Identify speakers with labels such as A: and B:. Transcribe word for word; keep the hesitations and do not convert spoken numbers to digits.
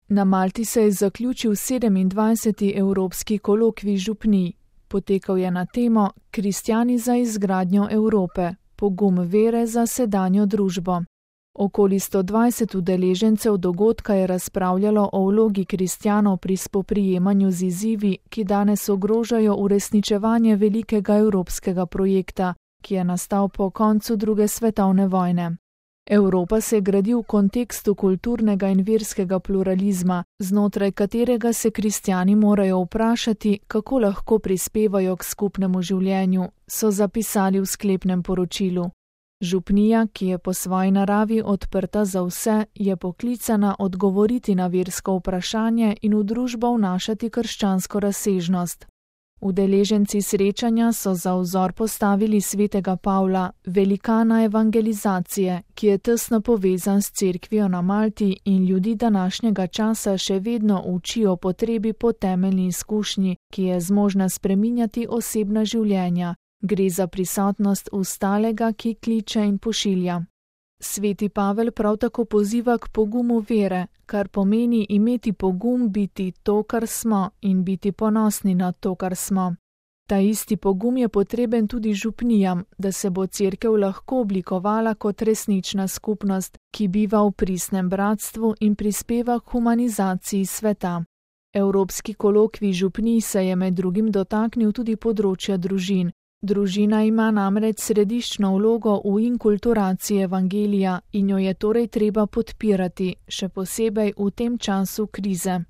A: Na Malti se je zaključil sedemindvajseti Evropski kolokvij župnij. Potekal je na temo Kristjani za izgradnjo Evrope, pogum vere za sedanjo družbo. Okoli sto dvajset udeležencev dogodka je razpravljalo o vlogi kristjanov pri spoprijemanju z izzivi, ki danes ogrožajo uresničevanje velikega evropskega projekta, ki je nastal po koncu druge svetovne vojne. Evropa se gradi v kontekstu kulturnega in verskega pluralizma, znotraj katerega se kristjani morajo vprašati, kako lahko prispevajo k skupnemu življenju, so zapisali v sklepnem poročilu. Župnija, ki je po svoji naravi odprta za vse, je poklicana odgovoriti na versko vprašanje in v družbo vnašati krščansko razsežnost. Udeleženci srečanja so za vzor postavili svetega Pavla, velikana evangelizacije, ki je tesno povezan s cerkvijo na Malti in ljudi današnjega časa še vedno uči o potrebi po temeljni izkušnji, ki je zmožna spreminjati osebna življenja. Gre za prisotnost ustalega, ki kliče in pošilja. Sveti Pavel prav tako poziva k pogumu vere, kar pomeni imeti pogum biti to, kar smo, in biti ponosni na to, kar smo. Ta isti pogum je potreben tudi župnijam, da se bo cerkev lahko oblikovala kot resnična skupnost, ki biva v pristnem bratstvu in prispeva k humanizaciji sveta. Evropski kolokvij župnij se je med drugim dotaknil tudi področja družin. Družina ima namreč središčno vlogo v inkulturaciji evangelija in jo je torej treba podpirati, še posebej v tem času krize.